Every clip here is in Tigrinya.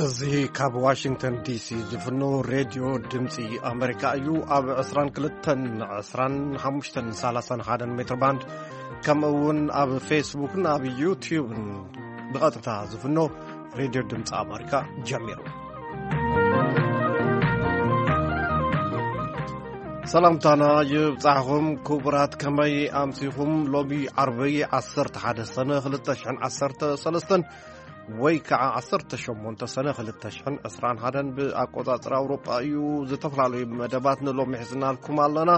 እዚ ካብ ዋሽንግተን ዲሲ ዝፍኖ ሬድዮ ድምፂ ኣመሪካ እዩ። ኣብ ዕስራን ክልተን፣ ዕስራን ሓሙሽተን፣ ሰላሳን ሓደን ሜትር ባንድ፣ ከምኡ እውን ኣብ ፌስቡክን ኣብ ዩትዩብን ብቐጥታ ዝፍኖ ሬድዮ ድምፂ ኣመሪካ ጀሚሩ። ሰላምታና ይብጻሕኹም ክቡራት፣ ከመይ ኣምሲኹም? ሎሚ ዓርቢ ዓሰርተ ሓደ ሰነ ክልተ ሽሕን ዓሰርተ ሰለስተን ወይ ከዓ ዓሰርተ ሸሞንተ ሰነ ክልተ ሽሕን ዕስራን ሓደን ብኣቆጻጽራ ኣውሮጳ እዩ። ዝተፈላለዩ መደባት ንሎሚ ሒዝናልኩም ኣለና።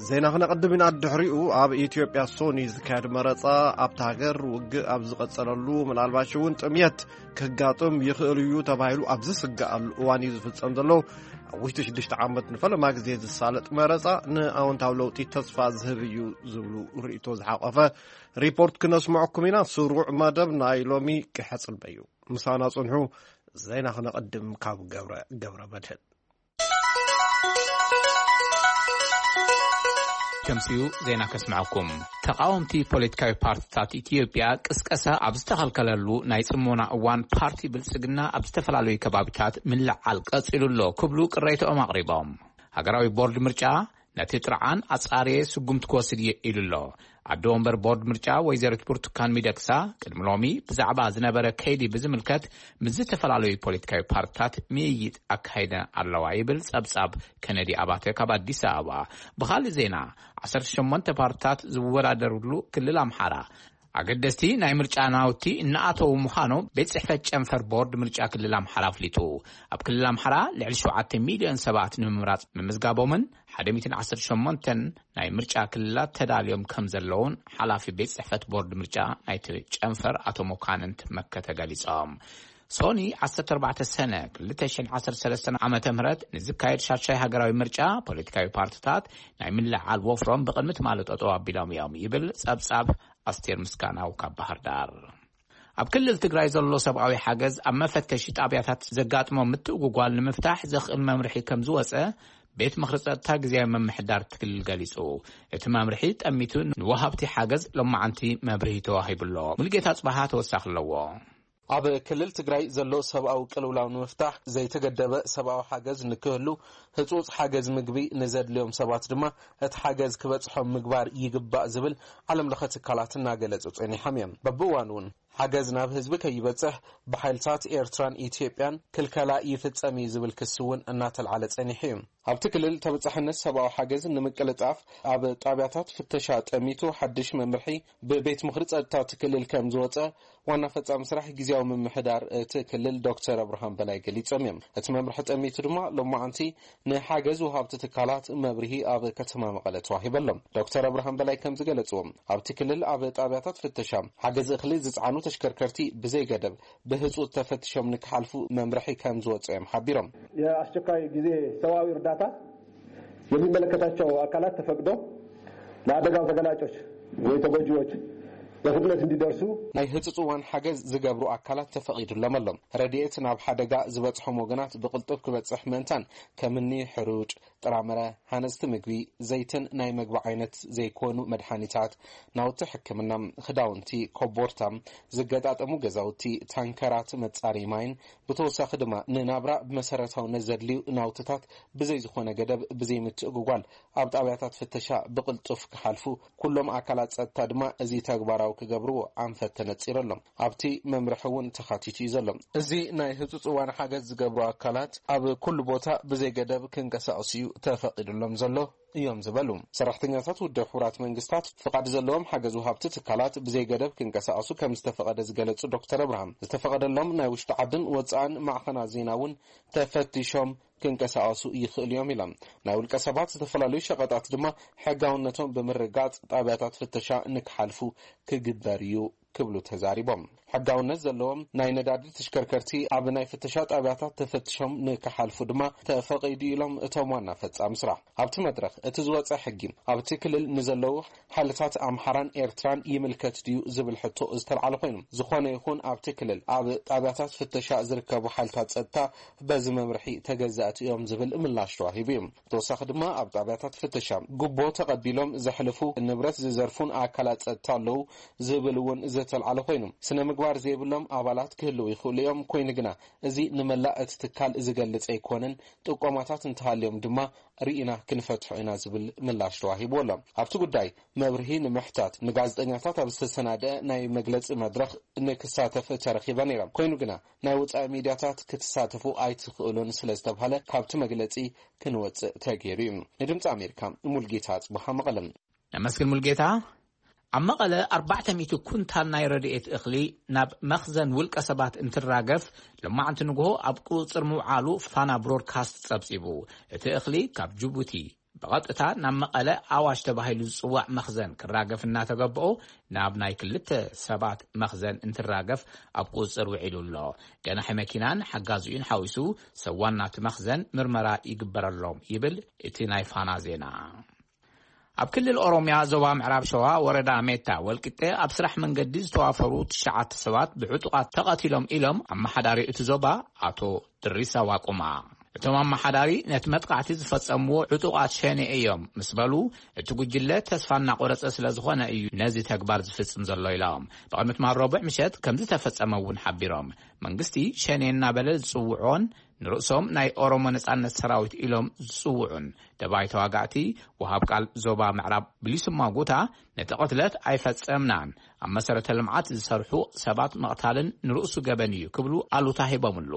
ዜና ክነቐድም ኢና። ድሕሪኡ ኣብ ኢትዮጵያ ሶኒ ዝካየድ መረጻ ኣብታ ሃገር ውግእ ኣብ ዝቐጸለሉ፣ ምናልባሽ እውን ጥምየት ክጋጥም ይኽእል እዩ ተባሂሉ ኣብ ዝስጋኣሉ እዋን እዩ ዝፍጸም ዘሎ። ኣብ ውሽጢ ሽዱሽተ ዓመት ንፈለማ ግዜ ዝሳለጥ መረጻ ንኣወንታዊ ለውጢ ተስፋ ዝህብ እዩ ዝብሉ ርእይቶ ዝሓቆፈ ሪፖርት ክነስምዐኩም ኢና። ስሩዕ መደብ ናይ ሎሚ ክሕጽበ እዩ። ምሳና ጽንሑ። ዜና ክነቐድም ካብ ገብረ፣ ገብረ መድህን። ከምሲኡ ዜና ከስምዐኩም። ተቓወምቲ ፖለቲካዊ ፓርቲታት ኢትዮጵያ ቅስቀሳ ኣብ ዝተኸልከለሉ ናይ ጽሞና እዋን፣ ፓርቲ ብልጽግና ኣብ ዝተፈላለዩ ከባቢታት ምልዓል ቀጺሉ ኣሎ ክብሉ ቅሬታኦም ኣቕሪቦም። ሃገራዊ ቦርድ ምርጫ ነቲ ጥርዓን ኣጻርየ ስጉምቲ ክወስድ እየ ኢሉ ኣሎ። ኣደ ወንበር ቦርድ ምርጫ ወይዘሪት ብርቱካን ሚደቅሳ ቅድሚ ሎሚ ብዛዕባ ዝነበረ ከይዲ ብዝምልከት ምስ ዝተፈላለዩ ፖለቲካዊ ፓርቲታት ምይይጥ ኣካይደ ኣለዋ ይብል ጸብጻብ ከነዲ ኣባተ ካብ ኣዲስ ኣበባ። ብኻልእ ዜና፣ ዓሰርተ ሸሞንተ ፓርቲታት ዝወዳደሩሉ ክልል ኣምሓራ ኣገደስቲ ናይ ምርጫ ናውቲ እናኣተዉ ምዃኖም ቤት ጽሕፈት ጨንፈር ቦርድ ምርጫ ክልል ኣምሓራ ኣፍሊጡ። ኣብ ክልል ኣምሓራ ልዕሊ ሸውዓተ ሚልዮን ሰባት ንምምራጽ ምምዝጋቦምን ሓደ ሚእትን ዓሰርተ ሸሞንተን ናይ ምርጫ ክልላት ተዳልዮም ከም ዘለውን ሓላፊ ቤት ጽሕፈት ቦርድ ምርጫ ናይቲ ጨንፈር ኣቶ መኳንንት መከተ ገሊጾም። ሶኒ ዓሰርተ ኣርባዕተ ሰነ ክልተ ሽሕን ዓሰርተ ሰለስተን ዓመተ ምህረት ንዝካየድ ሻድሻይ ሃገራዊ ምርጫ ፖለቲካዊ ፓርቲታት ናይ ምልዓል ወፍሮም ብቕድሚ ትማሊ ጠጠው ኣቢሎም እዮም ይብል ጸብጻብ ኣስቴር ምስጋናው ካብ ባህር ዳር። ኣብ ክልል ትግራይ ዘሎ ሰብኣዊ ሓገዝ ኣብ መፈተሺ ጣብያታት ዘጋጥሞ ምትእጉጓል ንምፍታሕ ዘኽእል መምርሒ ከም ዝወፀ ቤት ምኽሪ ጸጥታ ግዝያዊ ምምሕዳር እቲ ክልል ገሊጹ። እቲ መምርሒ ጠሚቱ ንወሃብቲ ሓገዝ ሎማዓንቲ መብርሂ ተዋሂቡ ኣሎ። ሙሉጌታ ጽባሃ ተወሳኺ ኣለዎ። ኣብ ክልል ትግራይ ዘሎ ሰብኣዊ ቅልውላው ንምፍታሕ ዘይተገደበ ሰብኣዊ ሓገዝ ንክህሉ፣ ህጹጽ ሓገዝ ምግቢ ንዘድልዮም ሰባት ድማ እቲ ሓገዝ ክበጽሖም ምግባር ይግባእ ዝብል ዓለም ለኸ ትካላት እናገለጹ ጸኒሖም እዮም። በብእዋኑ እውን ሓገዝ ናብ ህዝቢ ከይበጽሕ ብሓይልታት ኤርትራን ኢትዮጵያን ክልከላ ይፍጸም እዩ ዝብል ክሲ እውን እናተልዓለ ጸኒሑ እዩ። ኣብቲ ክልል ተበጻሕነት ሰብኣዊ ሓገዝ ንምቅልጣፍ ኣብ ጣብያታት ፍተሻ ጠሚቱ ሓድሽ መምርሒ ብቤት ምኽሪ ጸጥታ እቲ ክልል ከም ዝወጸ ዋና ፈጻሚ ስራሕ ግዝያዊ ምምሕዳር እቲ ክልል ዶክተር ኣብርሃም በላይ ገሊጾም እዮም። እቲ መምርሒ ጠሚቱ ድማ ሎማዓንቲ ንሓገዝ ወሃብቲ ትካላት መብርሂ ኣብ ከተማ መቐለ ተዋሂበሎም። ዶክተር ኣብርሃም በላይ ከም ዝገለጽዎ፣ ኣብቲ ክልል ኣብ ጣብያታት ፍተሻ ሓገዝ እኽሊ ዝጸዓኑ ተሽከርከርቲ ብዘይገደብ ብህጹጽ ተፈቲሾም ንክሓልፉ መምርሒ ከም ዝወጸ እዮም ሓቢሮም። የአስቸኳይ ጊዜ ሰብአዊ እርዳታ የሚመለከታቸው አካላት ተፈቅዶ ለአደጋው ተገላጮች ወይ ተጎጂዎች በፍጥነት እንዲደርሱ ናይ ህጹጽ እዋን ሓገዝ ዝገብሩ ኣካላት ተፈቒዱሎም ኣሎ። ረድኤት ናብ ሓደጋ ዝበጽሖም ወገናት ብቕልጡፍ ክበጽሕ ምእንታን ከምኒ ሕሩጭ፣ ጥራምረ፣ ሃነጽቲ ምግቢ፣ ዘይትን ናይ መግቢ ዓይነት ዘይኮኑ መድሓኒታት፣ ናውቲ ሕክምና፣ ክዳውንቲ፣ ኮቦርታ፣ ዝገጣጠሙ ገዛውቲ፣ ታንከራት መጻረዪ ማይን ብተወሳኺ ድማ ንናብራ ብመሰረታውነት ዘድልዩ ናውትታት ብዘይ ዝኾነ ገደብ ብዘይ ምትእጉጓል ኣብ ጣብያታት ፍተሻ ብቕልጡፍ ክሓልፉ፣ ኩሎም ኣካላት ጸጥታ ድማ እዚ ተግባራዊ ክገብርዎ ኣንፈት ተነጺሩ ኣሎ። ኣብቲ መምርሒ እውን ተኻቲቱ እዩ ዘሎ። እዚ ናይ ህጹጽ እዋን ሓገዝ ዝገብሩ ኣካላት ኣብ ኩሉ ቦታ ብዘይ ገደብ ክንቀሳቐሱ እዩ ተፈቒዱሎም ዘሎ እዮም ዝበሉ። ሰራሕተኛታት ውድብ ሕቡራት መንግስታት ፍቓድ ዘለዎም ሓገዝ ወሃብቲ ትካላት ብዘይ ገደብ ክንቀሳቐሱ ከም ዝተፈቐደ ዝገለጹ ዶክተር ኣብርሃም፣ ዝተፈቐደሎም ናይ ውሽጢ ዓድን ወጻእን ማዕኸናት ዜና እውን ተፈቲሾም ክንቀሳቐሱ ይኽእሉ እዮም ኢሎም። ናይ ውልቀ ሰባት ዝተፈላለዩ ሸቐጣት ድማ ሕጋውነቶም ብምርጋጽ ጣብያታት ፍተሻ ንክሓልፉ ክግበር እዩ ክብሉ ተዛሪቦም። ሕጋውነት ዘለዎም ናይ ነዳዲ ተሽከርከርቲ ኣብ ናይ ፍተሻ ጣብያታት ተፈትሾም ንክሓልፉ ድማ ተፈቒዱ ኢሎም እቶም ዋና ፈጻሚ ስራሕ። ኣብቲ መድረኽ እቲ ዝወጸ ሕጊ ኣብቲ ክልል ንዘለዉ ሓይልታት ኣምሓራን ኤርትራን ይምልከት ድዩ ዝብል ሕቶ ዝተልዓለ ኮይኑ፣ ዝኾነ ይኹን ኣብቲ ክልል ኣብ ጣብያታት ፍተሻ ዝርከቡ ሓይልታት ጸጥታ በዚ መምርሒ ተገዛእቲ እዮም ዝብል ምላሽ ተዋሂቡ እዩ። ብተወሳኺ ድማ ኣብ ጣብያታት ፍተሻ ጉቦ ተቐቢሎም ዘሕልፉ፣ ንብረት ዝዘርፉን ኣካላት ጸጥታ ኣለዉ ዝብል እውን ዝተልዓለ ኮይኑ፣ ስነ ምግባር ዘይብሎም ኣባላት ክህልዉ ይኽእሉ እዮም። ኮይኑ ግና፣ እዚ ንመላእ እቲ ትካል ዝገልጽ ኣይኮነን። ጥቆማታት እንተሃልዮም ድማ ርኢና ክንፈትሖ ኢና ዝብል ምላሽ ተዋሂብዎ ኣሎ። ኣብቲ ጉዳይ መብርሂ ንምሕታት ንጋዜጠኛታት ኣብ ዝተሰናደአ ናይ መግለጺ መድረኽ ንክሳተፍ ተረኺበ ነይረ። ኮይኑ ግና፣ ናይ ወጻኢ ሚድያታት ክትሳተፉ ኣይትኽእሉን ስለ ዝተባህለ፣ ካብቲ መግለጺ ክንወጽእ ተገይሩ እዩ። ንድምጺ ኣሜሪካ፣ ሙልጌታ ኣጽብሃ፣ መቐለ። ነመስግን ሙልጌታ። ኣብ መቐለ ኣርባዕተ ሚእቲ ኩንታል ናይ ረድኤት እኽሊ ናብ መኽዘን ውልቀ ሰባት እንትራገፍ፣ ሎማዕንቲ ንግሆ ኣብ ቁጽጽር ምውዓሉ ፋና ብሮድካስት ጸብጺቡ። እቲ እኽሊ ካብ ጅቡቲ ብቐጥታ ናብ መቐለ ኣዋሽ ተባሂሉ ዝጽዋዕ መኽዘን ክራገፍ እናተገብኦ፣ ናብ ናይ ክልተ ሰባት መኽዘን እንትራገፍ ኣብ ቁጽጽር ውዒሉ ኣሎ። ገናሒ መኪናን ሓጋዚኡን ሓዊሱ ሰብ ዋና እቲ መኽዘን ምርመራ ይግበረሎም ይብል እቲ ናይ ፋና ዜና። ኣብ ክልል ኦሮምያ ዞባ ምዕራብ ሸዋ ወረዳ ሜታ ወልቂጤ ኣብ ስራሕ መንገዲ ዝተዋፈሩ ትሽዓተ ሰባት ብዕጡቓት ተቐቲሎም ኢሎም ኣመሓዳሪ እቲ ዞባ ኣቶ ድሪሳ ዋቁማ። እቶም ኣመሓዳሪ ነቲ መጥቃዕቲ ዝፈጸምዎ ዕጡቓት ሸኔ እዮም ምስ በሉ፣ እቲ ጉጅለ ተስፋ እናቆረጸ ስለ ዝኾነ እዩ ነዚ ተግባር ዝፍጽም ዘሎ ኢሎም። ብቕድሚ ትማል ረቡዕ ምሸት ከም ዝተፈጸመ እውን ሓቢሮም። መንግስቲ ሸኔ እናበለ ዝጽውዖን ንርእሶም ናይ ኦሮሞ ነጻነት ሰራዊት ኢሎም ዝጽውዑን ደባይ ተዋጋእቲ፣ ወሃብ ቃል ዞባ ምዕራብ ብሊሱማ ጉታ፣ ነቲ ቅትለት ኣይፈጸምናን፣ ኣብ መሰረተ ልምዓት ዝሰርሑ ሰባት ምቕታልን ንርእሱ ገበን እዩ ክብሉ ኣሉታ ሂቦምሉ።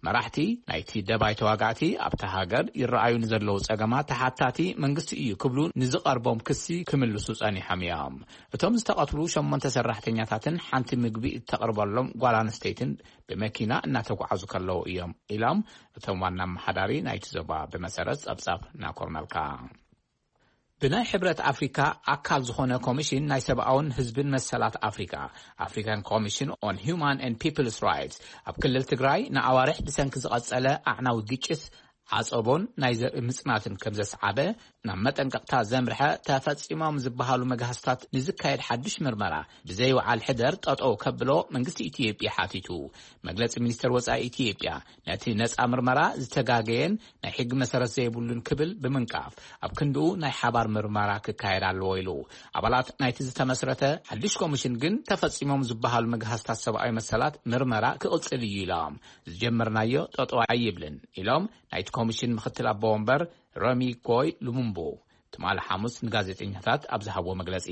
መራሕቲ ናይቲ ደባይ ተዋጋእቲ ኣብታ ሃገር ይረኣዩ ንዘለዉ ጸገማት ተሓታቲ መንግስቲ እዩ ክብሉ ንዝቐርቦም ክሲ ክምልሱ ጸኒሖም እዮም። እቶም ዝተቐትሉ ሸሞንተ ሰራሕተኛታትን ሓንቲ ምግቢ እተቕርበሎም ጓል ኣንስተይትን ብመኪና እናተጓዓዙ ከለዉ እዮም ኢሎም እቶም ዋና ኣመሓዳሪ ናይቲ ዞባ፣ ብመሰረት ጸብጻብ ናኮርመልካ። ብናይ ሕብረት ኣፍሪካ ኣካል ዝኾነ ኮሚሽን ናይ ሰብኣውን ህዝብን መሰላት ኣፍሪካ፣ African Commission on Human and People's Rights፣ ኣብ ክልል ትግራይ ንኣዋርሕ ብሰንኪ ዝቐጸለ ኣዕናዊ ግጭት ዓጸቦን ናይ ዘርኢ ምጽናትን ከም ዘስዓበ ናብ መጠንቀቕታ ዘምርሐ፣ ተፈጺሞም ዝበሃሉ መግሃስታት ንዝካየድ ሓድሽ ምርመራ ብዘይወዓል ሕደር ጠጠው ከብሎ መንግስቲ ኢትዮጵያ ሓቲቱ። መግለጺ ሚኒስተር ወጻኢ ኢትዮጵያ፣ ነቲ ነጻ ምርመራ ዝተጋገየን ናይ ሕጊ መሰረት ዘይብሉን ክብል ብምንቃፍ፣ ኣብ ክንድኡ ናይ ሓባር ምርመራ ክካየድ ኣለዎ ኢሉ። ኣባላት ናይቲ ዝተመስረተ ሓድሽ ኮሚሽን ግን ተፈጺሞም ዝበሃሉ መግሃስታት ሰብኣዊ መሰላት ምርመራ ክቕጽል እዩ ኢሎም። ዝጀመርናዮ ጠጠው ኣይብልን ኢሎም ናይቲ ኮሚሽን ምክትል ኣቦ ወንበር ረሚ ጎይ ሉሙምቡ ትማሊ ሓሙስ ንጋዜጠኛታት ኣብ ዝሃብዎ መግለጺ፣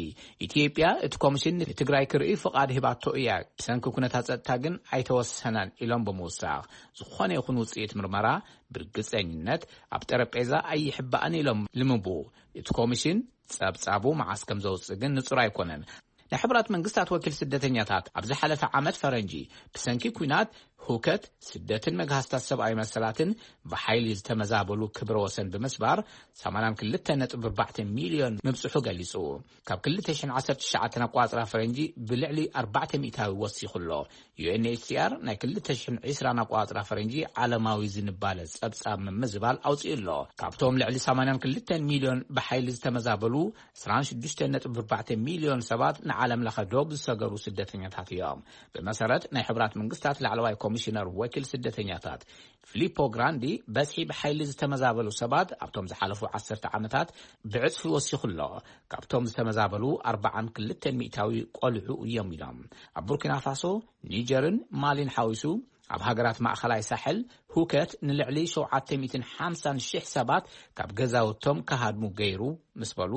ኢትዮጵያ እቲ ኮሚሽን ንትግራይ ክርኢ ፍቓድ ሂባቶ እያ፣ ብሰንኪ ኩነታት ጸጥታ ግን ኣይተወሰነን ኢሎም ብምውሳኽ፣ ዝኾነ ይኹን ውጽኢት ምርመራ ብርግጸኝነት ኣብ ጠረጴዛ ኣይሕባእን ኢሎም ልምቡ። እቲ ኮሚሽን ጸብጻቡ መዓስ ከም ዘውጽእ ግን ንጹር ኣይኮነን። ናይ ሕቡራት መንግስታት ወኪል ስደተኛታት ኣብ ዝሓለፈ ዓመት ፈረንጂ ብሰንኪ ኲናት፣ ሁከት፣ ስደትን መግሃስታት ሰብኣዊ መሰላትን ብሓይሊ ዝተመዛበሉ ክብረ ወሰን ብምስባር ሰማንያን ክልተ ነጥቢ ኣርባዕተ ሚልዮን ምብጽሑ ገሊጹ። ካብ ክልተ ሽሕን ዓሰርተ ትሽዓተን ኣቋጽራ ፈረንጂ ብልዕሊ ኣርባዕተ ሚእታዊ ወሲኹ ኣሎ። ዩ ኤን ኤች ሲ ኣር ናይ ክልተ ሽሕን ዕስራን ኣቋጽራ ፈረንጂ ዓለማዊ ዝንባለ ጸብጻብ ምምዝባል ኣውጺኡ ኣሎ። ካብቶም ልዕሊ ሰማንያን ክልተን ሚልዮን ብሓይሊ ዝተመዛበሉ፣ ዕስራን ሽዱሽተን ነጥቢ ኣርባዕተ ሚልዮን ሰባት ንዓለም ለኸ ዶብ ዝሰገሩ ስደተኛታት እዮም። ብመሰረት ናይ ሕቡራት መንግስታት ላዕለዋይ ኮሚሽነር ወኪል ስደተኛታት ፊሊፖ ግራንዲ፣ በዝሒ ብሓይሊ ዝተመዛበሉ ሰባት ኣብቶም ዝሓለፉ ዓሰርተ ዓመታት ብዕጽፊ ወሲኹ ኣሎ። ካብቶም ዝተመዛበሉ ኣርባዓን ክልተን ሚእታዊ ቆልዑ እዮም ኢሎም። ኣብ ቡርኪና ፋሶ፣ ኒጀርን ማሊን ሓዊሱ፣ ኣብ ሃገራት ማእኸላይ ሳሕል ሁከት ንልዕሊ ሸውዓተ ሚእትን ሓምሳን ሽሕ ሰባት ካብ ገዛውቶም ክሃድሙ ገይሩ ምስ በሉ፣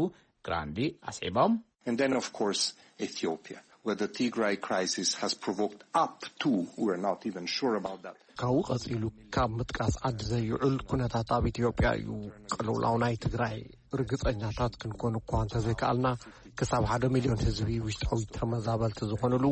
ግራንዲ ኣስዒቦም። And then, of course, Ethiopia, where the Tigray crisis has provoked up to, we're not even sure about that. ካብኡ ቀጺሉ ካብ ምጥቃስ ዓዲ ዘይውዕል ኩነታት ኣብ ኢትዮጵያ እዩ። ቅልውላው ናይ ትግራይ ርግጸኛታት ክንኮን እኳ እንተዘይከኣልና፣ ክሳብ ሓደ ሚልዮን ህዝቢ ውሽጣዊ ተመዛበልቲ ዝኾኑሉ፣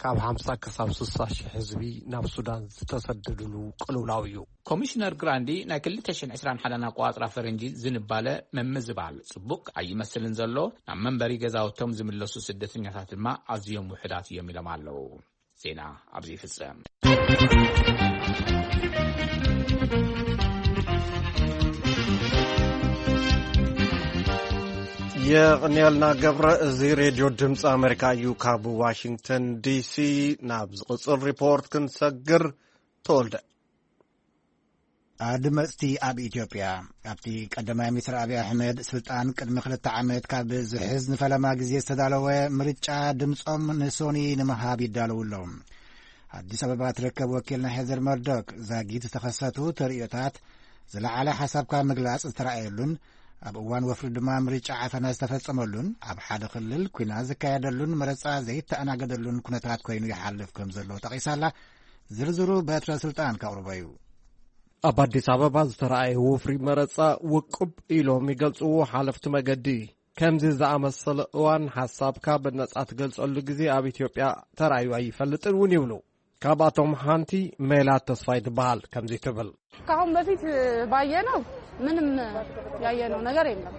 ካብ ሓምሳ ክሳብ ስሳ ሽሕ ህዝቢ ናብ ሱዳን ዝተሰደዱሉ ቅልውላው እዩ። ኮሚሽነር ግራንዲ፣ ናይ ክልተ ሽሕን ዕስራን ሓደን ኣቋጽራ ፈረንጂ ዝንባለ ምምዝባል ጽቡቕ ኣይመስልን ዘሎ፣ ናብ መንበሪ ገዛውቶም ዝምለሱ ስደተኛታት ድማ ኣዝዮም ውሑዳት እዮም ኢሎም ኣለዉ። ዜና ኣብዚ ይፍጸም። የቕንየልና ገብረ። እዚ ሬድዮ ድምፂ ኣሜሪካ እዩ። ካብ ዋሽንግተን ዲሲ ናብ ዝቕፅል ሪፖርት ክንሰግር። ተወልደ። ኣድመጽቲ ኣብ ኢትዮጵያ፣ ኣብቲ ቀዳማይ ሚኒስትር ኣብይ ኣሕመድ ስልጣን ቅድሚ ክልተ ዓመት ካብ ዝሕዝ ንፈለማ ግዜ ዝተዳለወ ምርጫ ድምጾም ንሶኒ ንምሃብ ይዳለዉ ኣለዉ። ኣዲስ ኣበባ ትርከብ ወኪልና ሄዘር መርዶክ፣ ዛጊት ዝተኸሰቱ ተርእዮታት ዝለዓለ ሓሳብካ ምግላጽ ዝተረኣየሉን ኣብ እዋን ወፍሪ ድማ ምርጫ ዓፈና ዝተፈጸመሉን ኣብ ሓደ ክልል ኲናት ዝካየደሉን መረጻ ዘይተኣናገደሉን ኩነታት ኮይኑ ይሓልፍ ከም ዘሎ ጠቒሳላ። ዝርዝሩ በትረ ስልጣን ከቕርቦ እዩ። ኣብ ኣዲስ ኣበባ ዝተረኣየ ወፍሪ መረጻ ውቁብ ኢሎም ይገልጽዎ ሓለፍቲ መገዲ። ከምዚ ዝኣመሰለ እዋን ሓሳብካ ብነጻ ትገልጸሉ ግዜ ኣብ ኢትዮጵያ ተራእዩ ኣይፈልጥን እውን ይብሉ። ካብኣቶም ሓንቲ ሜላት ተስፋይ ትበሃል። ከምዚ ትብል። ከአሁን በፊት ባየነው ምንም ያየነው ነገር የለም።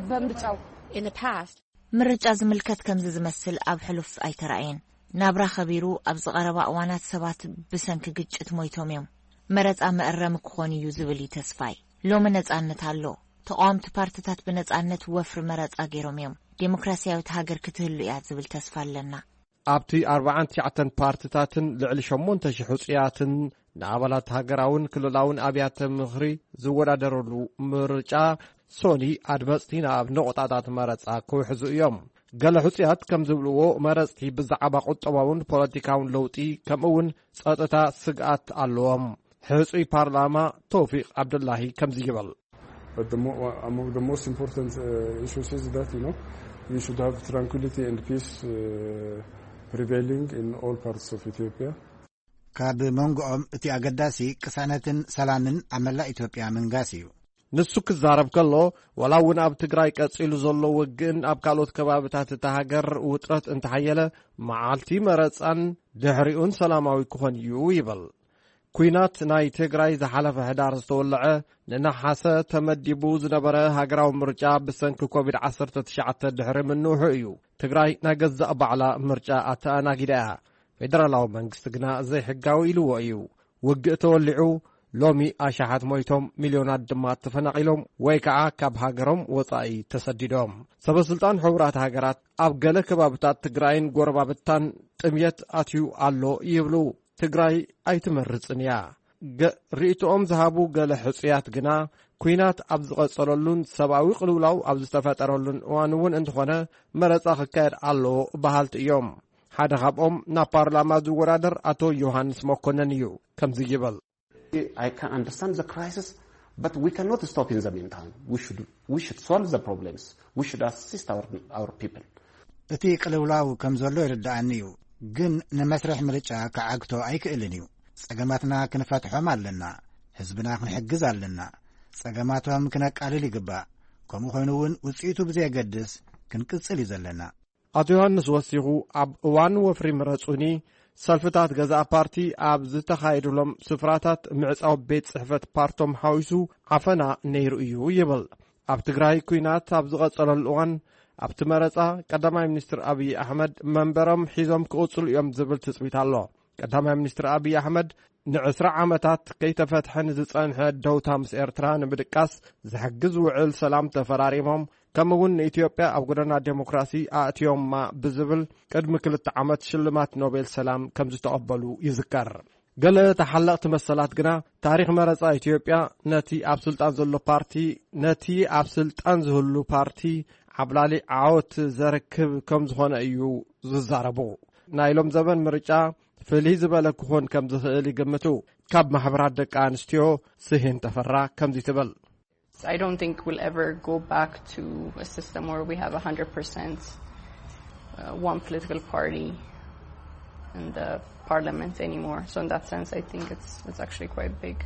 በምርጫው In the past, ምርጫ ዝምልከት ከምዚ ዝመስል ኣብ ሕሉፍ ኣይተራእየን። ናብራ ከቢሩ ኣብዚ ቀረባ እዋናት ሰባት ብሰንኪ ግጭት ሞይቶም እዮም። መረጻ መእረሚ ክኾን እዩ ዝብል እዩ ተስፋይ። ሎሚ ነጻነት ኣሎ። ተቓወምቲ ፓርትታት ብነጻነት ወፍሪ መረጻ ገይሮም እዮም። ዴሞክራሲያዊት ሃገር ክትህሉ እያ ዝብል ተስፋ ኣለና። ኣብቲ ኣርባዓን ትሽዓተን ፓርትታትን ልዕሊ ሸሞንተ ሽሕ ሕጹያትን ንኣባላት ሃገራውን ክልላውን ኣብያተ ምኽሪ ዝወዳደረሉ ምርጫ ሶኒ ኣድመጽቲ ናብ ነቑጣታት መረጻ ክውሕዙ እዮም። ገለ ሕጹያት ከም ዝብልዎ መረጽቲ ብዛዕባ ቁጠባውን ፖለቲካውን ለውጢ ከምኡ እውን ጸጥታ ስግኣት ኣለዎም። ሕጹይ ፓርላማ ተውፊቅ ዓብዱላሂ ከምዚ ይብል። But the mo- among the most important uh, issues is that you know we should have tranquility and peace uh, prevailing in all parts of Ethiopia. ካብ መንጎኦም እቲ ኣገዳሲ ቅሳነትን ሰላምን ኣብ መላእ ኢትዮጵያ ምንጋስ እዩ። ንሱ ክዛረብ ከሎ፣ ወላ እውን ኣብ ትግራይ ቀጺሉ ዘሎ ውግእን ኣብ ካልኦት ከባብታት እታ ሃገር ውጥረት እንተሓየለ፣ መዓልቲ መረጻን ድሕሪኡን ሰላማዊ ክኾን እዩ ይብል። ኲናት ናይ ትግራይ ዝሓለፈ ሕዳር ዝተወልዐ፣ ንነሓሰ ተመዲቡ ዝነበረ ሃገራዊ ምርጫ ብሰንኪ ኮቪድ ዓሰርተ ትሽዓተ ድሕሪ ምንውሑ እዩ። ትግራይ ናይ ገዛእ ባዕላ ምርጫ ኣተኣናጊዳ እያ። ፌደራላዊ መንግስቲ ግና ዘይሕጋዊ ኢልዎ እዩ። ውግእ ተወሊዑ፣ ሎሚ ኣሽሓት ሞይቶም፣ ሚልዮናት ድማ ተፈናቒሎም ወይ ከዓ ካብ ሃገሮም ወጻኢ ተሰዲዶም። ሰበስልጣን ሕቡራት ሃገራት ኣብ ገለ ከባብታት ትግራይን ጎረባብታን ጥምየት ኣትዩ ኣሎ ይብሉ። ትግራይ ኣይትመርጽን እያ። ገ- ርእይቶኦም ዝሃቡ ገለ ሕጹያት ግና፣ ኲናት ኣብ ዝቐጸለሉን ሰብኣዊ ቅልውላው ኣብ ዝተፈጠረሉን እዋን እውን እንተኾነ፣ መረጻ ክካየድ ኣለዎ በሃልቲ እዮም። ሓደ ካብኦም ናብ ፓርላማ ዝወዳደር ኣቶ ዮሃንስ መኮነን እዩ። ከምዚ ይብል። I can understand the crisis, but we cannot stop in the meantime. We should, we should solve the problems. We should assist our, our people. እቲ ቅልውላው ከም ዘሎ ይርድኣኒ እዩ፣ ግን ንመስርሕ ምርጫ ክዓግቶ ኣይክእልን እዩ። ጸገማትና ክንፈትሖም ኣለና። ህዝብና ክንሕግዝ ኣለና። ጸገማቶም ክነቃልል ይግባእ። ከምኡ ኮይኑ እውን ውጽኢቱ ብዘየገድስ ክንቅጽል እዩ ዘለና። ኣቶ ዮሃንስ ወሲኹ፣ ኣብ እዋን ወፍሪ ምረጹኒ፣ ሰልፍታት ገዛእ ፓርቲ ኣብ ዝተኻየዱሎም ስፍራታት ምዕጻው ቤት ጽሕፈት ፓርቶም ሓዊሱ ዓፈና ነይሩ እዩ ይብል። ኣብ ትግራይ ኲናት ኣብ ዝቐጸለሉ እዋን፣ ኣብቲ መረጻ ቀዳማይ ሚኒስትር ኣብይ ኣሕመድ መንበሮም ሒዞም ክቕጽሉ እዮም ዝብል ትጽቢት ኣሎ። ቀዳማይ ሚኒስትር ኣብይ ኣሕመድ ንዕስራ ዓመታት ከይተፈትሐ ንዝጸንሐ ደውታ ምስ ኤርትራ ንምድቃስ ዝሕግዝ ውዕል ሰላም ተፈራሪሞም፣ ከምኡ እውን ንኢትዮጵያ ኣብ ጎደና ዴሞክራሲ ኣእትዮማ ብዝብል ቅድሚ ክልተ ዓመት ሽልማት ኖቤል ሰላም ከም ዝተቐበሉ ይዝከር። ገለ ተሓለቕቲ መሰላት ግና፣ ታሪኽ መረጻ ኢትዮጵያ ነቲ ኣብ ስልጣን ዘሎ ፓርቲ፣ ነቲ ኣብ ስልጣን ዝህሉ ፓርቲ ዓብላሊ ዓወት ዘርክብ ከም ዝኾነ እዩ ዝዛረቡ። ናይ ሎም ዘበን ምርጫ ፍልይ ዝበለ ክኾን ከም ዝኽእል ይግምቱ። ካብ ማሕበራት ደቂ ኣንስትዮ ስሄን ተፈራ ከምዚ ትብል። I don't think we'll ever go back to a system where we have one hundred percent uh, one political party in the parliament anymore. So in that sense, I think it's it's actually quite big.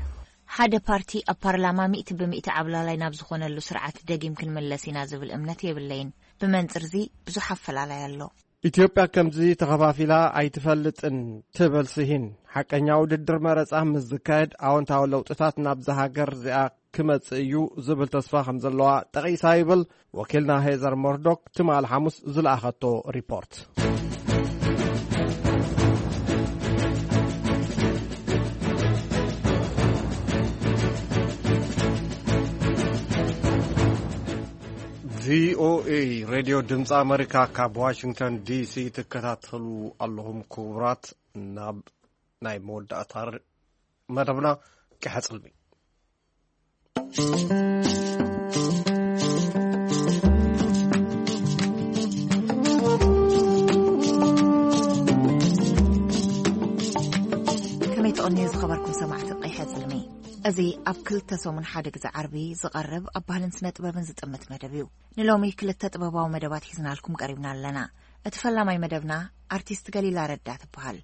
ሓደ ፓርቲ ኣብ ፓርላማ ሚእቲ ብሚእቲ ዓብላላይ ናብ ዝኾነሉ ስርዓት ደጊም ክንምለስ ኢና ዝብል እምነት የብለይን። ብመንጽርዚ ብዙሕ ኣፈላላይ ኣሎ። ኢትዮጵያ ከምዚ ተኸፋፊላ ኣይትፈልጥን ትብል ስሂን፣ ሓቀኛ ውድድር መረጻ ምስ ዝካየድ ኣወንታዊ ለውጥታት ናብዛ ሃገር እዚኣ ክመጽእ እዩ ዝብል ተስፋ ከም ዘለዋ ጠቒሳ ይብል ወኪልና ሄዘር ሞርዶክ ትማል ሓሙስ ዝለኣኸቶ ሪፖርት። ቪኦኤ ሬድዮ ድምፂ ኣመሪካ ካብ ዋሽንግተን ዲሲ ትከታተሉ ኣለኹም። ክቡራት፣ ናብ ናይ መወዳእታ መደብና ቀሓፅልሚ። ከመይ ትቕንዩ ዝኸበርኩም ሰማዕቲ ቀይሐ ጽልሚ? እዚ ኣብ ክልተ ሰሙን ሓደ ግዜ ዓርቢ ዝቐርብ ኣብ ባህልን ስነ ጥበብን ዝጥምት መደብ እዩ። ንሎሚ ክልተ ጥበባዊ መደባት ሒዝናልኩም ቀሪብና ኣለና። እቲ ፈላማይ መደብና ኣርቲስት ገሊላ ረዳ ትበሃል።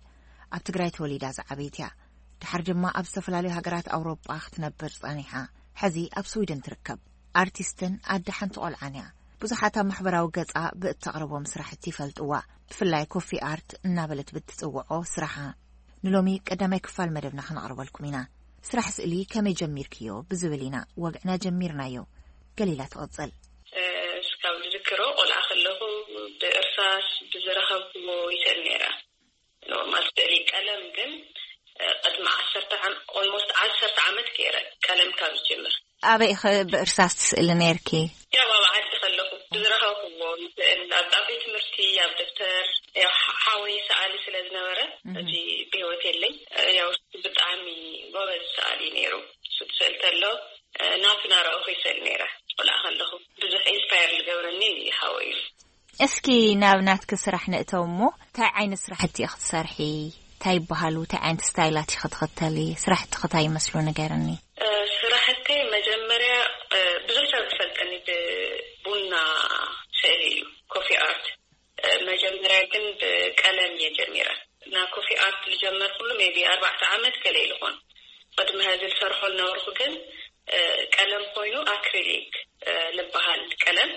ኣብ ትግራይ ተወሊዳ ዝዓበየት እያ። ድሓር ድማ ኣብ ዝተፈላለዩ ሃገራት ኣውሮጳ ክትነብር ጸኒሓ። ሕዚ ኣብ ስዊድን ትርከብ። ኣርቲስትን ኣደ ሓንቲ ቆልዓን እያ። ብዙሓት ኣብ ማሕበራዊ ገጻ ብእተቕርቦም ስራሕቲ ይፈልጥዋ። ብፍላይ ኮፊ ኣርት እናበለት ብትጽውዖ ስራሓ። ንሎሚ ቀዳማይ ክፋል መደብና ክነቕርበልኩም ኢና። ስራሕ ስእሊ ከመይ ጀሚርክዮ ብዝብል ኢና ወግዕና ጀሚርናዮ። ገሊላ ትቕጽል። እስካብ ዝዝክሮ ቆልዓ ከለኹ ብእርሳስ ብዝረኸብኩዎ ይስእል ነይረ። ኖርማል ስእሊ ቀለም ግን፣ እ፣ ቅድሚ ዓሰርተ ዓም-፣ ኦልሞስት ዓሰርተ ዓመት ገይረ ቀለም ካብ ዝጅምር። ኣበይ ኢኸ ብእርሳስ ትስእሊ ነይርኪ? ያው ኣብ ዓዲ ከለኹ ብዝረኸብኩዎ ይስእል፣ ኣብ፣ ኣብ ቤት ትምህርቲ፣ ኣብ ደብተር፣ ያው ሓ-፣ ሓወይ ሰኣሊ ስለ ዝነበረ፣ እህ። ሕጂ ብህይወት የለይ። እ፣ ያው ብጣዕሚ ጎበዝ ሰኣሊ ነይሩ። እሱ ትስእል ተሎ፣ እ፣ ናቱ ናረኣኹ ይስእል ነይረ። ቆልዓ ከለኹ ብዙሕ ኢንስፓየር ዝገብረኒ ሓወይ እዩ። እስኪ ናብ ናትኪ ስራሕ ንእተው እሞ፣ እንታይ ዓይነት ስራሕቲ ኢኺ ትሰርሒ? እንታይ ይበሃሉ? እንታይ ዓይነት ስታይላት ኢኺ ትኽተሊ? ስራሕትኺ እንታይ ይመስሉ ንገርኒ። እ፣ ስራሕተይ መጀመርያ፣ እ፣ ብዙሕ ሰብ ዝፈልጠኒ ብቡና ስእሊ እዩ፣ ኮፊ ኣርት። እ፣ መጀመርያ ግን ብቀለም እየ ጀሚረ። ና ኮፊ ኣርት ዝጀመርኩሉ ሜቢ ኣርባዕተ ዓመት ገለ ኢሉ ኾን። ቅድሚ ሀዚ ዝሰርሖ ዝነበርኩ ግን፣ እ፣ ቀለም ኮይኑ ኣክሪሊክ፣ እ፣ ዝበሃል ቀለም፣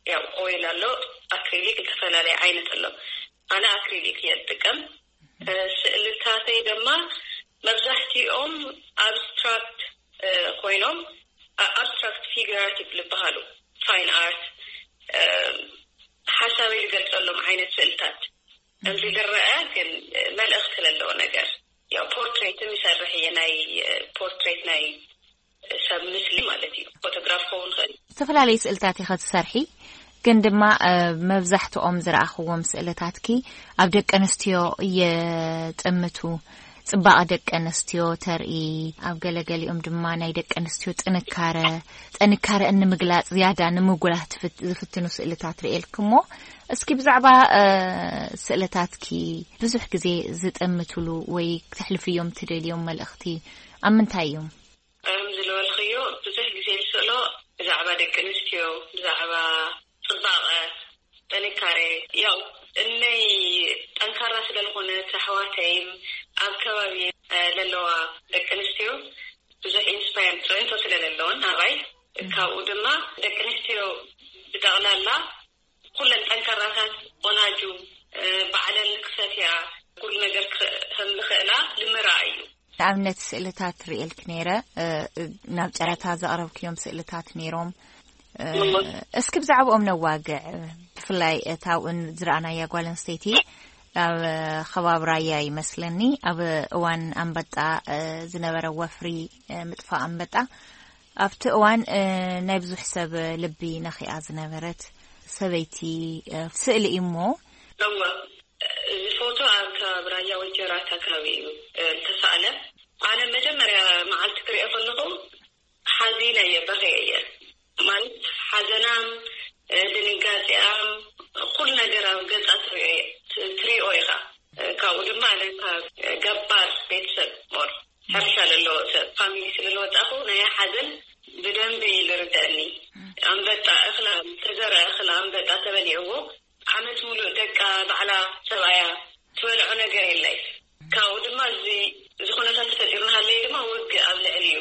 ያው ኦይል ኣሎ፣ ኣክሪሊክ ዝተፈላለየ ዓይነት ኣሎ። ኣነ ኣክሪሊክ እየ ዝጥቀም። እ፣ ስእልታተይ ድማ መብዛሕትኦም ኣብስትራክት፣ እ፣ ኮይኖም፣ ኣ-፣ ኣብስትራክት ፊግራቲቭ ዝበሃሉ ፋይን ኣርት፣ እ፣ ሓሳበይ ዝገልጸሎም ዓይነት ስእልታት። እዚ ዝረአ ግን መልእኽቲ ዘለዎ ነገር። ያው ፖርትሬትም ይሰርሕ እየ፣ ናይ፣ እ፣ ፖርትሬት ናይ ሰብ ምስሊ ማለት እዩ። ፎቶግራፍ ክኸውን ይኽእል። ዝተፈላለዩ ስእልታት ኢኸ ትሰርሒ፣ ግን ድማ፣ እ፣ መብዛሕትኦም ዝረኣኽዎም ስእልታትኪ ኣብ ደቂ ኣንስትዮ የጥምቱ። ጽባቐ ደቂ ኣንስትዮ ተርኢ፣ ኣብ ገለገሊኦም ድማ ናይ ደቂ ኣንስትዮ ጥንካረ፣ ጥንካረአን ንምግላጽ ዝያዳ ንምጉላህ ትፍት-፣ ዝፍትኑ ስእልታት ርእየልኪ እሞ፣ እስኪ ብዛዕባ፣ እ፣ ስእልታትኪ ብዙሕ ግዜ ዝጥምትሉ ወይ ክተሕልፍዮም ትደልዮም መልእኽቲ ኣብ ምንታይ እዮም? ከም ዝበልኽዮ፣ ብዙሕ ግዜ ዝስእሎ ብዛዕባ ደቂ ኣንስትዮ፣ ብዛዕባ ጽባቐ፣ ጥንካሬ። ያው እነይ ጠንካራ ስለ ዝኾነት ኣሕዋተይን ኣብ ከባቢ፣ እ፣ ለለዋ ደቂ ኣንስትዮ ብዙሕ ኢንስፓየር፣ ጽዕንቶ ስለ ዘለወን ኣባይ፣ ካብኡ ድማ ደቂ ኣንስትዮ ብጠቕላላ ኩለን ጠንካራታት፣ ቆናጁ፣ እ፣ ባዕለን ክሰትያ፣ ኩሉ ነገር ክኸ-፣ ከም ዝኽእላ ንምርኣይ እዩ። ንኣብነት ስእልታት ርእየልኪ ነይረ፣ እ፣ ናብ ጨረታ ዘቕረብክዮም ስእልታት ነይሮም። እ፣ እሞ እስኪ ብዛዕባኦም ነዋግዕ። ብፍላይ እታ ኣብኡን ዝረኣናያ ጓል ኣንስተይቲ ኣብ ከባቢ ራያ ይመስለኒ፣ ኣብ እዋን ኣንበጣ፣ እ፣ ዝነበረ ወፍሪ፣ እ፣ ምጥፋእ ኣንበጣ፣ ኣብቲ እዋን፣ እ፣ ናይ ብዙሕ ሰብ ልቢ ነኺኣ ዝነበረት ሰበይቲ፣ እ፣ ስእሊ እዩ እሞ። እወ፣ እዚ ፎቶ ኣብ ከባቢ ራያ ወጀራት ኣከባቢ እዩ፣ እ፣ ዝተሳእለ። ኣነ መጀመርያ መዓልቲ ክሪኦ ከለኹ ሓዚነ እየ፣ በኸየ እየ። ማለት ሓዘናም፣ እ፣ ድንጋጼኣም፣ ኩሉ ነገር ኣብ ገጻ ትሪኦ እየ፣ ት-፣ ትሪኦ ኢኻ። እ፣ ካብኡ ድማ ኣነ ካብ ገባር ቤተሰብ ሞር ሕርሻ ዘለዎ ሰብ ፋሚሊ ስለ ዝወጣኹ ናይ ሓዘን ብደንቢ እዩ ዝርደእኒ። ኣንበጣ እኽላ፣ ዝተዘርአ እኽላ ኣንበጣ ተበሊዕዎ ዓመት ሙሉእ ደቃ ባዕላ ሰብኣያ ትበልዖ ነገር የለይ። ካብኡ ድማ እዚ፣ እዚ ኩነታት ተፈጢሩ እናሃለየ ድማ ውግእ ኣብ ልዕሊ እዩ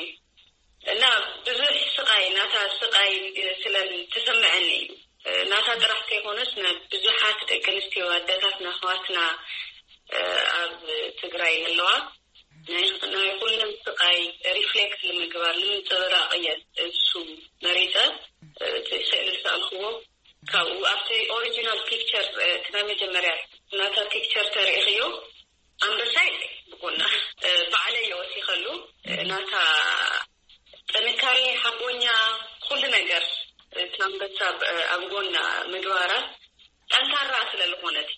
እና ብዙሕ ስቓይ፣ ናታ ስቓይ ስለ ዝተሰምዐኒ እዩ። ናታ ጥራሕ ከይኮነስ፣ ናብ ብዙሓት ደቂ ኣንስትዮ ኣደታትና፣ ኣሕዋትና፣ ኣብ ትግራይ ዘለዋ ናይ፣ ናይ ኩለን ስቓይ ሪፍሌክት ንምግባር፣ ንምንጽብራቕ እየ እሱ መሪጸ፣ እቲ ስእሊ ዝሰኣልክዎ። ካብኡ ኣብቲ ኦሪጂናል ፒክቸር፣ እቲ ናይ መጀመርያ ናታ ፒክቸር ተሪእኽዮ፣ ኣንበሳ የለ ብጎና፣ ባዕለይ እየ ወሲኸሉ። ናታ ጥንካሬ፣ ሓቦኛ፣ ኩሉ ነገር፣ እቲ ኣንበሳ ኣብ፣ ኣብ ጎና ምግባራ ጠንካራ ስለ ዝኾነት።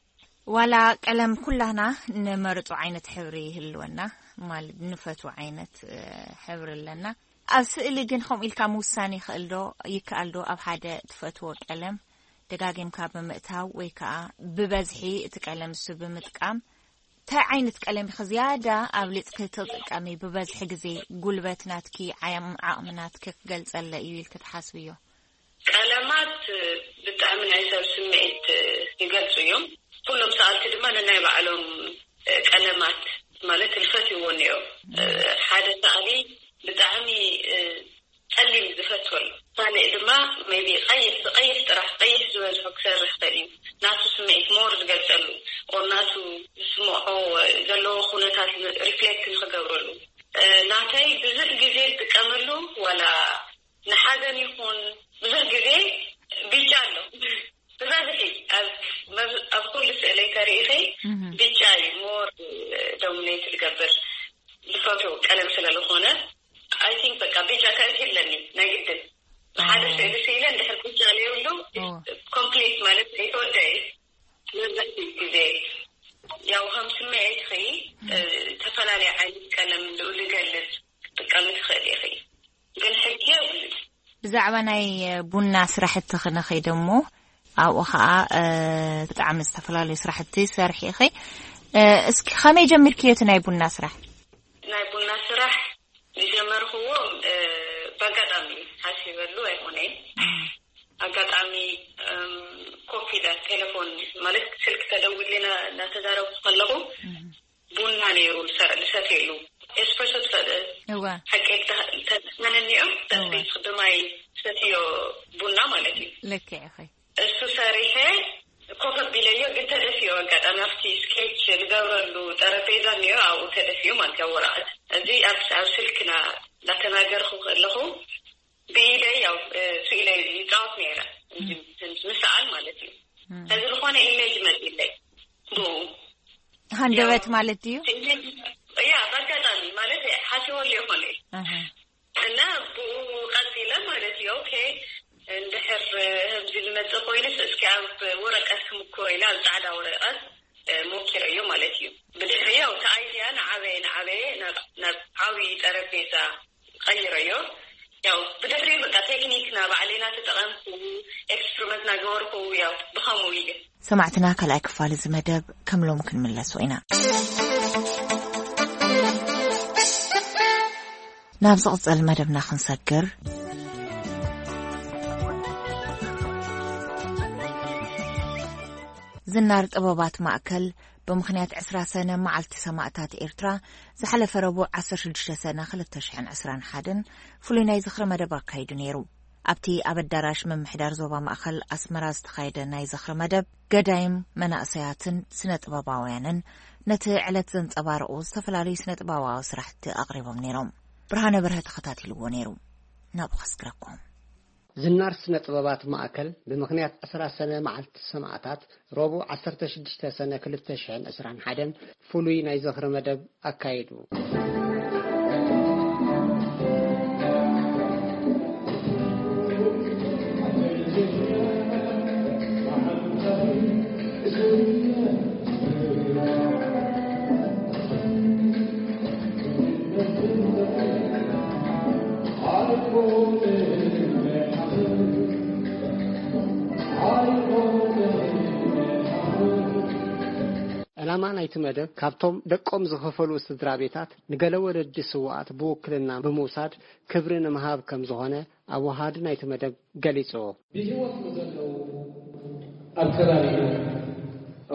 ዋላ ቀለም ኩላህና ንመርጾ ዓይነት ሕብሪ ይህልወና፣ ማለት ንፈትዎ ዓይነት፣ እ፣ ሕብሪ ኣለና። ኣብ ስእሊ ግን ከምኡ ኢልካ ምውሳን ይኽእል ዶ? ይከኣል ዶ? ኣብ ሓደ ትፈትዎ ቀለም ደጋጊምካ ብምእታው ወይ ከኣ ብበዝሒ እቲ ቀለም እሱ ብምጥቃም እንታይ ዓይነት ቀለም ኢኺ ዝያዳ ኣብሊጽኪ ትጥቀሚ? ብበዝሒ ግዜ ጉልበት ናትኪ፣ ዓያም ዓቕሚ ናትኪ ክገልጸለ እዩ ኢልኪ ትሓስብዮ? ቀለማት ብጣዕሚ ናይ ሰብ ስምዒት ይገልጹ እዮም። ኩሎም ሰኣልቲ ድማ ነናይ ባዕሎም ቀለማት ማለት ዝፈትይዎ እኒኦ። ሓደ ሰኣሊ ብጣዕሚ ጸሊም ዝፈትወሉ፣ ካልእ ድማ maybe ቀይሕ፣ ብቀይሕ ጥራሕ፣ ቀይሕ ዝበዝሖ ክሰርሕ ይኽእል እዩ። ናቱ ስምዒት ሞር ዝገልጸሉ፣ ኦር ናቱ ዝስምዖ ዘለዎ ኩነታት ሪፍሌክት ንክገብረሉ። ናተይ ብዙሕ ግዜ ዝጥቀመሉ ዋላ ንሓዘን ይኹን ብዙሕ ግዜ ቢጫ ኣሎ። ብበዝሒ ኣብ መብ-፣ ኣብ ኩሉ ስእለይ ተሪኢኺ እህ። ቢጫ እዩ ሞር ዶሚኔት ዝገብር። ዝፈትዎ ቀለም ስለ ዝኾነ፣ I think በቃ ቢጫ ከእቲ ኣለኒ ናይ ግድን። ሓደ ኦ። ስእሊ ስኢለ እንድሕር ቢጫ ዘይብሉ ኦ። ኮምፕሊት ማለት ዘይተወደአ እዩ። መብዛሕትኡ ግዜ ያው ከም ስምዒትኺ፣ እ፣ ዝተፈላለየ ዓይነት ቀለም ንኡ ዝገልጽ ክትጥቀሚ ትኽእሊ ኢኺ። ግን ሕጊ የብሉን። ብዛዕባ ናይ ቡና ስራሕቲ ክንኸይድ እሞ፣ ኣብኡ ኸኣ፣ እ፣ ብጣዕሚ ዝተፈላለዩ ስራሕቲ ትሰርሒ ኢኺ። እ፣ እስኪ ከመይ ጀሚርክዮ እቲ ናይ ቡና ስራሕ? ናይ ቡና ስራሕ ዝጀመርክዎ፣ እ፣ ብኣጋጣሚ እዩ። ሓሲበሉ ኣይኮነን። ኣጋጣሚ፣ እም፣ ኮፍ ኢለ ቴሌፎን ማለት ስልክ ተደዊሉና እናተዛረብኩ ከለኹ እህ። ቡና ነይሩ ዝሰ-፣ ዝሰትየሉ። ኤስፕረሶ ትፈ-፣ እወ። ሓቂ ተስመነኒ እዮም። እወ። በስቤት ብማይ ሰትዮ ቡና ማለት እዩ። ልክዕ ኢኺ። እሱ ሰሪሐ ኮፍ ኣቢለዮ፣ ግን ተደፊኦ። ኣጋጣሚ ኣብቲ ስኬች ዝገብረሉ ጠረጴዛ እኒኦ፣ ኣብኡ ተደፊኡ ማለት እዩ፣ ኣብ ወረቐት። እዚ ኣብ፣ ኣብ ስልክና እናተናገርኩ ከለኹ ብኢደይ ያው፣ እ፣ ስኢለ ይጻወት ነይረ። እም። ምስ ሰኣል ማለት እዩ። እም። እዚ ዝኾነ ኢሜጅ መጺለይ ብኡ። ሃንደበት ያው ማለት ድዩ? ኢሜጅ፣ ያ፣ በአጋጣሚ ማለት ሓሲበሉ ይኾነ። ኣሃ። እና ብኡ ቀጺለ ማለት እዩ። ኦኬ፣ እንድሕር ከምዚ ዝመጽእ ኮይኑስ እስኪ ኣብ ወረቀት ክምክሮ ኢለ ኣብ ጻዕዳ ወረቀት፣ እ፣ ሞኪረዮ ማለት እዩ። ብድሕሪ ያው እቲ ኣይድያ ንዓበየ፣ ንዓበየ ናብ፣ ናብ ዓብዪ ጠረጴዛ ቀይረዮ። ያው ብድሕሪ በቃ ቴክኒክ ና ባዕለይ ና ተጠቐምኩ፣ ኤክስፐሪመንት ና ገበርኩ፣ ያው ብኸምኡ ኢለ። ሰማዕትና ካልኣይ ክፋል እዚ መደብ ከም ሎም ክንምለሶ ኢና። ናብ ዝቕጸል መደብና ክንሰግር፣ ዝናር ጥበባት ማእከል ብምኽንያት ዕስራ ሰነ መዓልቲ ሰማእታት ኤርትራ ዝሓለፈ ረቡዕ ዓሰርተ ሽዱሽተ ሰነ ክልተ ሽሕን ዕስራን ሓደን ፍሉይ ናይ ዝኽሪ መደብ ኣካይዱ ነይሩ። ኣብቲ ኣብ ኣዳራሽ ምምሕዳር ዞባ ማእከል ኣስመራ ዝተኻየደ ናይ ዝኽሪ መደብ፣ ገዳይም መናእሰያትን ስነ ጥበባውያንን ነቲ ዕለት ዘንጸባርቑ ዝተፈላለዩ ስነ ጥበባዊ ስራሕቲ ኣቕሪቦም ነይሮም። ብርሃነ በርሀ ተኸታቲልዎ ነይሩ። ናብኡ ከስግረኩም። ዝናር ስነ ጥበባት ማእከል ብምኽንያት ዕስራ ሰነ መዓልቲ ሰማእታት ረቡዕ ዓሰርተ ሽዱሽተ ሰነ ክልተ ሽሕን ዕስራን ሓደን ፍሉይ ናይ ዝኽሪ መደብ ኣካይዱ። ዕላማ ናይቲ መደብ፣ ካብቶም ደቆም ዝኸፈሉ ስድራ ቤታት ንገለ ወለዲ ስውኣት ብውክልና ብምውሳድ ክብሪ ንምሃብ ከም ዝኾነ ኣወሃዲ ናይቲ መደብ ገሊጹ። ብህይወት ንዘለዉ ኣብ ከባቢና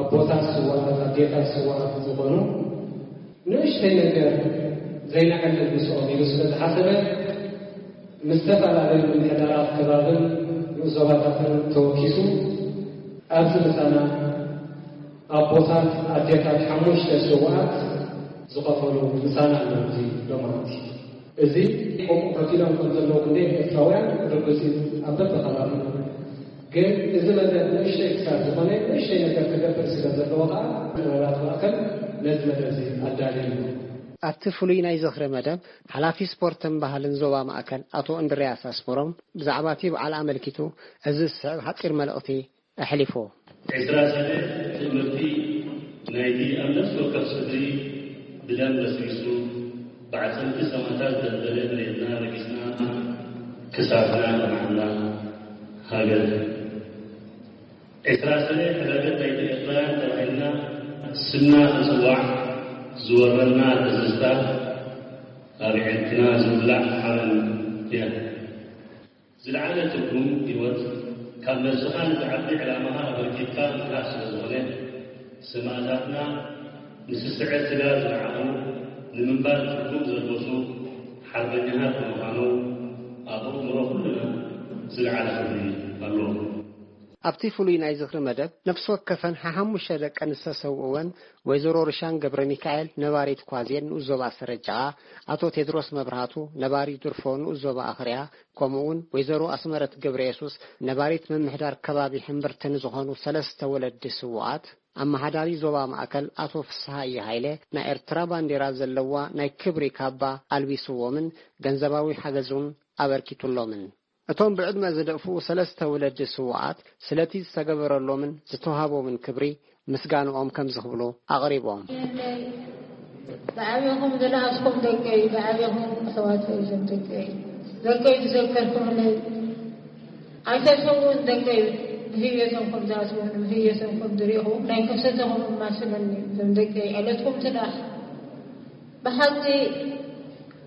ኣቦታት ስውኣት፣ ኣዴታት ስውኣት ዝኾኑ ንእሽተይ ነገር ዘይነዕልል ምስኦም ኢሉ ስለ ዝሓሰበ፣ ምስ ዝተፈላለዩ ምምሕዳራት ከባብን ንኡስ ዞባታትን ተወኪሱ ኣብዚ ምሳና ኣቦታት፣ ኣዴታት ሓሙሽተ ስውኣት ዝኸፈሉ ምሳና ኣለዉ። እዚ ሎማዓንቲ እዚ ከምኡ ከፊሎም ከም ዘለዉ ክንደይ ኤርትራውያን ርዱእ እዩ። ኣብ በብኸባቢ ግን እዚ መደብ ንእሽተይ ክሳብ ዝኾነ ንእሽተይ ነገር ክገብር ስለ ዘለዎ ከኣ ጥበባት ማእከል ነዚ መደብ እዚ ኣዳልዩ እዩ። ኣብቲ ፍሉይ ናይ ዝኽሪ መደብ፣ ሓላፊ ስፖርትን ባህልን ዞባ ማእከል ኣቶ እንድርያስ ኣስመሮም ብዛዕባ እቲ በዓል ኣመልኪቱ እዚ ዝስዕብ ሓጺር መልእኽቲ ኣሕሊፉ። ዕስራ ሰነ ትእምርቲ ናይቲ ኣብ ነፍሲ ወከፍ ስድሪ ብደም በስቢሱ ብዓጽምቲ ሰማእታት ዘንበለ መሬትና ረጊጽና፣ ክሳድና ኣቕናዕና። ሃገር ዕስራ ሰነ ሕዳገት ናይቲ ኤርትራውያን ተባሂልና ስምና ክጽዋዕ ዝወረና ትዝታ፣ ኣብ ዕርክና ዝውላዕ ሓበን እያ። ዝለዓለ ትርጉም ህይወት፣ ካብ ነብስኻ ንዝዓቢ ዕላማኻ ኣበርኪትካ ምትራፍ ስለ ዝኾነ፣ ሰማእታትና ንስስዐ ስጋ ዝረዓሙ፣ ንምንባር ትርጉም ዘልበሱ ሓርበኛታት ብምዃኖም፣ ኣብ ኣእምሮ ኩልና ዝለዓለ ክብሪ ኣለዎም። ኣብቲ ፍሉይ ናይ ዝኽሪ መደብ፣ ነፍሲ ወከፈን ሓሓሙሽተ ደቀን ዝተሰውእወን፣ ወይዘሮ ርሻን ገብረ ሚካኤል፣ ነባሪት ኳዜን ንኡስ ዞባ ሰረጃኣ፣ ኣቶ ቴድሮስ መብርሃቱ፣ ነባሪ ድርፎ ንኡስ ዞባ ኣኽርያ፣ ከምኡውን ወይዘሮ ኣስመረት ገብረ የሱስ፣ ነባሪት ምምሕዳር ከባቢ ሕምብርቲ ንዝኾኑ ሰለስተ ወለዲ ስውኣት፣ ኣመሓዳሪ ዞባ ማእከል ኣቶ ፍስሃየ ሃይለ፣ ናይ ኤርትራ ባንዴራ ዘለዋ ናይ ክብሪ ካባ ኣልቢስዎምን ገንዘባዊ ሓገዝ እውን ኣበርኪቱሎምን። እቶም ብዕድመ ዝደፍኡ ሰለስተ ወለዲ ስውኣት፣ ስለቲ ዝተገበረሎምን ዝተዋህቦምን ክብሪ ምስጋንኦም ከምዚ ክብሉ ኣቕሪቦም። ዝዓበኹም ዝነኣስኩም ደቀይ፣ ዝዓበኹም ኣሕዋተይ፣ እዞም ደቀይ፣ ደቀይ ዝዘከርኩምለይ፣ ኣይተሰውኡን ደቀይ፣ ብህየቶም ከም ዝኣስቡን ብህየቶም ከም ዝሪእኹም ናይ ከሰተኹም እማስለኒ፣ እዞም ደቀይ፣ ዕለትኩም ትላእ። ብሓቂ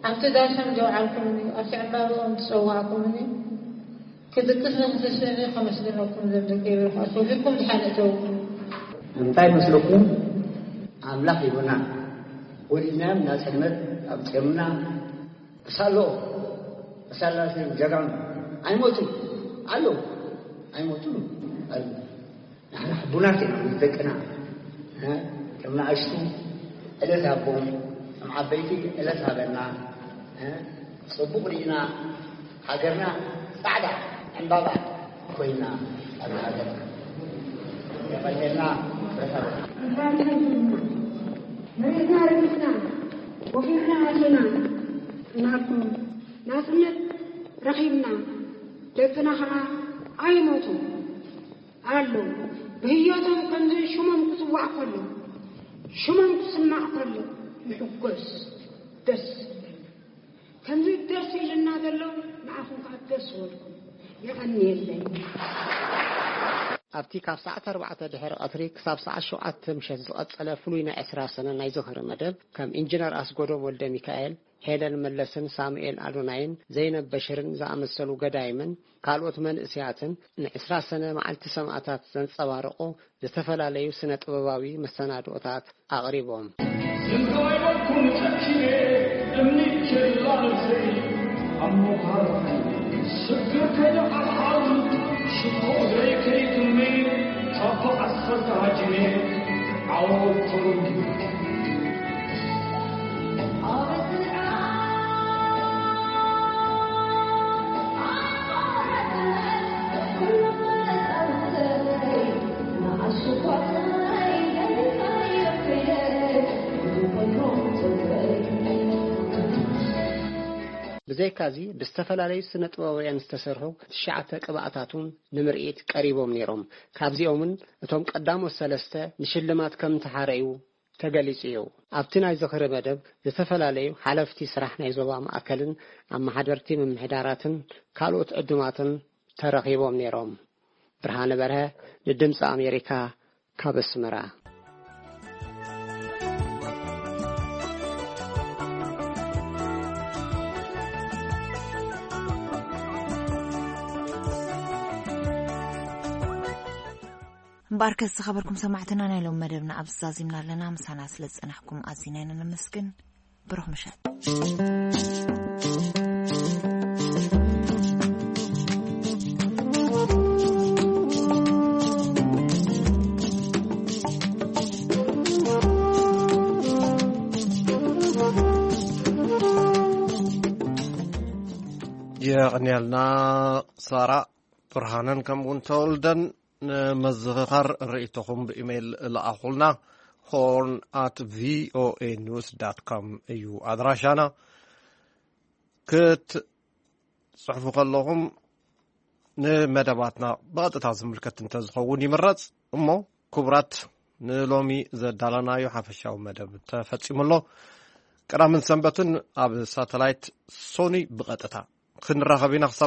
ኣብቲ ዳሶም ዘውዓልኩምኒ፣ ኣብቲ ዕምባብኦም ዝጸዋዕኩምኒ፣ ክድቅስ ንክትስእኒ ከመስግነኩም ዘምልክ ይብል። ኣስወፊኩም ድሓን እተው። እንታይ መስለኩም? ኣምላኽ ይሁና። ወሊድናዮም ናጽነት ኣምጺኦምና። ክሳሎ፣ ክሳላ ጀጋኑ ኣይሞቱን ኣለዉ። ኣይሞቱን ኣለዉ። ንሕና ሕቡናት ኢና ምስ ደቅና። እ? ከም ንኣሽቱ ዕለት ሃቦም፣ ከም ዓበይቲ ዕለት ሃበና። እ? ጽቡቕ ርኢና፣ ሃገርና ጻዕዳ ዕምባባ ኮይና ኣብ ሃገርና። የቐንየልና። መሬትና ረጊጽና፣ ወፊርና ኣቲና፣ እናልኩም ናጽነት ረኺብና፣ ደቅና ኸዓ ኣይሞቱን። ኣለዉ። ብህይወቶም ከምዚ ሽሞም ክጽዋዕ ከሎ፣ ሽሞም ክስማዕ ከሎ፣ ይሕጎስ፣ ደስ ይብለኒ። ከምዚ ደስ ኢልና ዘሎ፣ ንዓኹም ከኣ ደስ ይበልኩም። የቐንየለይ። ኣብቲ ካብ ሰዓት ኣርባዕተ ድሕሪ ቀትሪ ክሳብ ሰዓት ሸውዓተ ምሸት ዝቐጸለ ፍሉይ ናይ ዕስራ ሰነ ናይ ዝኽሪ መደብ፣ ከም ኢንጂነር ኣስጎዶም ወልደ ሚካኤል፣ ሄለን መለስን ሳሙኤል ኣዶናይን ዘይነብ በሽርን ዝኣመሰሉ ገዳይምን ካልኦት መንእሰያትን ንዕስራ ሰነ መዓልቲ ሰማእታት ዘንጸባርቑ ዝተፈላለዩ ስነ ጥበባዊ መሰናድኦታት ኣቕሪቦም። ዝንቶ ኣይበልኩም ጨኪነ እምኒ ኬላ ነብሰይ ኣብ ምዃር ስግር ከይዓሓር ሽኮ ዘይከይትመይ ካብ ዓሰርተ ሃጂነ ዓወት ተወልዱ። ብዘይካዚ ብዝተፈላለዩ ስነ ጥበባውያን ዝተሰርሑ ትሽዓተ ቅብኣታት እውን ንምርኢት ቀሪቦም ነይሮም። ካብዚኦምን እቶም ቀዳሞት ሰለስተ ንሽልማት ከም ተሓረዩ ተገሊጹ እዩ። ኣብቲ ናይ ዝኽሪ መደብ ዝተፈላለዩ ሓለፍቲ ስራሕ ናይ ዞባ ማእከልን ኣመሓደርቲ ምምሕዳራትን ካልኦት ዕዱማትን ተረኺቦም ነይሮም። ብርሃነ በርሀ ንድምፂ ኣሜሪካ ካብ ኣስመራ። እምበኣርከስ ዝኸበርኩም ሰማዕትና፣ ናይ ሎም መደብና ኣብዚ ዛዚምና ኣለና። ምሳና ስለ ዝጸናሕኩም ኣዚና ኢና ነመስግን። ብሩኽ ምሸት። የቐንያልና ሳራ ብርሃነን ከምኡውን ተወልደን። ንምዝኽኻር ርእይቶኹም ብኢሜይል ለኣኹልና። ሆርን ኣት ቪኦኤ ኒውስ ዳት ኮም እዩ ኣድራሻና። ክትጽሕፉ ከለኹም ንመደባትና ብቐጥታ ዝምልከት እንተዝኸውን ይምረጽ። እሞ ክቡራት፣ ንሎሚ ዘዳለናዮ ሓፈሻዊ መደብ ተፈጺሙ ኣሎ። ቀዳምን ሰንበትን ኣብ ሳተላይት ሶኒ ብቐጥታ ክንራኸብ ኢና። ክሳብ